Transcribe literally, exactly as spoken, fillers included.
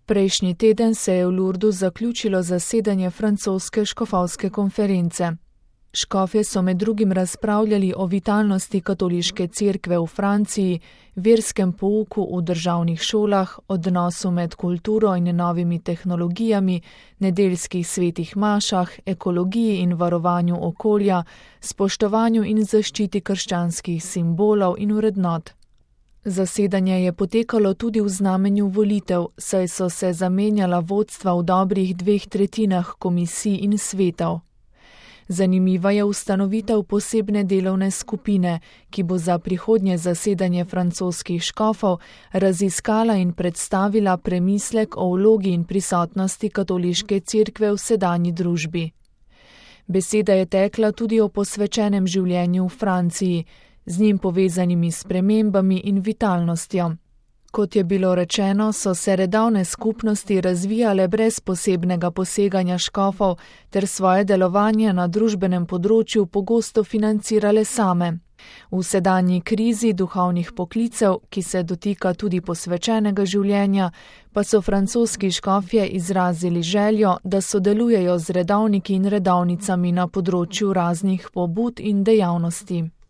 Prejšnji teden se je v Lourdu zaključilo zasedanje francoske škofovske konference. Škofje so med drugim razpravljali o vitalnosti katoliške cerkve v Franciji, verskem pouku v državnih šolah, odnosu med kulturo in novimi tehnologijami, nedeljskih svetih mašah, ekologiji in varovanju okolja, spoštovanju in zaščiti krščanskih simbolov in vrednot. Zasedanje je potekalo tudi v znamenju volitev, saj so se zamenjala vodstva v dobrih dveh tretjinah komisij in svetov. Zanimiva je ustanovitev posebne delovne skupine, ki bo za prihodnje zasedanje francoskih škofov raziskala in predstavila premislek o vlogi in prisotnosti katoliške cerkve v sedanji družbi. Beseda je tekla tudi o posvečenem življenju v Franciji, z njim povezanimi spremembami in vitalnostjo. Kot je bilo rečeno, so se redovne skupnosti razvijale brez posebnega poseganja škofov ter svoje delovanje na družbenem področju pogosto financirale same. V sedanji krizi duhovnih poklicev, ki se dotika tudi posvečenega življenja, pa so francoski škofje izrazili željo, da sodelujejo z redovniki in redovnicami na področju raznih pobud in dejavnosti.